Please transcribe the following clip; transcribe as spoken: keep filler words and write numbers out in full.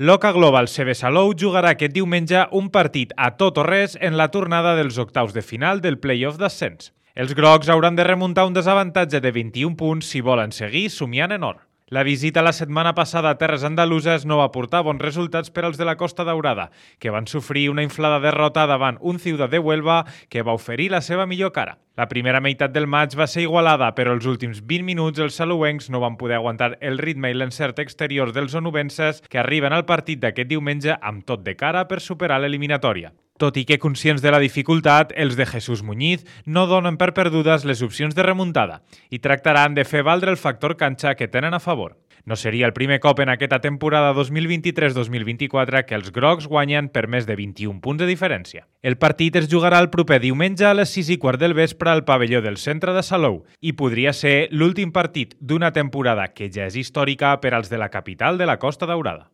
L'Oca Global C B Salou jugarà aquest diumenge un partit a tot o res en la tornada dels octaus de final del play-off d'ascens. Els grocs hauran de remuntar un desavantatge de vint-i-un punts si volen seguir somiant en or. La visita la setmana passada a terres andaluses no va portar bons resultats per als de la Costa Daurada, que van sofrir una inflada derrota davant un Ciutat de Huelva que va oferir la seva millor cara. La primera meitat del maig va ser igualada, però els últims vint minuts els salouencs no van poder aguantar el ritme i l'encert exterior dels onubenses que arriben al partit d'aquest diumenge amb tot de cara per superar l'eliminatòria. Tot i que conscients de la dificultat, els de Jesús Muñiz no donen per perdudes les opcions de remuntada i tractaran de fer valdre el factor canxa que tenen a favor. No seria el primer cop en aquesta temporada dos mil vint-i-tres dos mil vint-i-quatre que els grocs guanyen per més de vint-i-un punts de diferència. El partit es jugarà el proper diumenge a les sis i quart del vespre al pavelló del centre de Salou i podria ser l'últim partit d'una temporada que ja és històrica per als de la capital de la Costa Daurada.